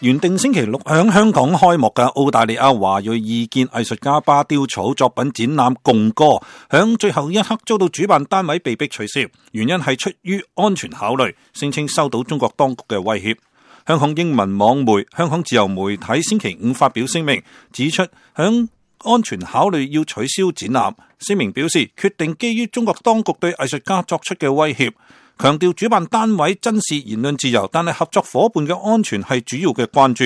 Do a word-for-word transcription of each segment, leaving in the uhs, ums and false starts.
原定星期六響香港開幕嘅澳大利亞華裔異見藝術家巴丟草作品展覽《共歌》，響最後一刻遭到主辦單位被迫取消，原因係出於安全考慮，聲稱收到中國當局嘅威脅。香港英文網媒香港自由媒體星期五發表聲明，指出響安全考慮要取消展覽。聲明表示，決定基於中國當局對藝術家作出嘅威脅，強調主辦單位珍視言論自由，但係合作夥伴嘅安全係主要嘅關注。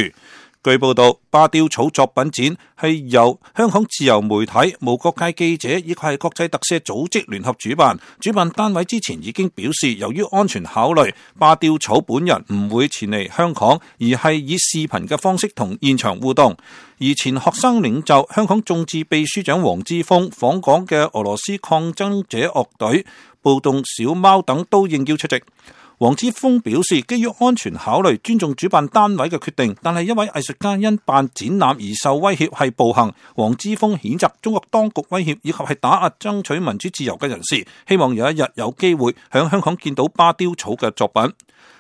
據報道，巴丟草作品展係由香港自由媒體、無國界記者以及係國際特赦組織聯合主辦。主辦單位之前已經表示，由於安全考慮，巴丟草本人唔會前嚟香港，而係以視頻嘅方式同現場互動。而前學生領袖、香港眾志秘書長黃之鋒訪港嘅俄羅斯抗爭者樂隊、暴動小貓等都應邀出席。黃之鋒表示，基於安全考慮，尊重主辦單位嘅決定，但係一位藝術家因辦展覽而受威脅係暴行。黃之鋒譴責中國當局威脅以及係打壓爭取民主自由嘅人士，希望有一日有機會響香港見到巴丟草嘅作品。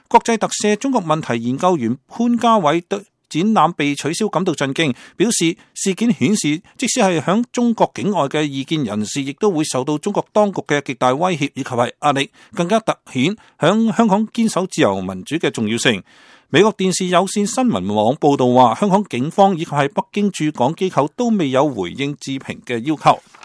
國際特赦中國問題研究員潘家偉對展覽被取消感到震驚，表示事件顯示，即使係響中國境外嘅異見人士，亦都會受到中國當局嘅極大威脅以及係壓力，更加凸顯響香港堅守自由民主嘅重要性。美國電視有線新聞網報道話，香港警方以及係北京駐港機構都未有回應置評嘅要求。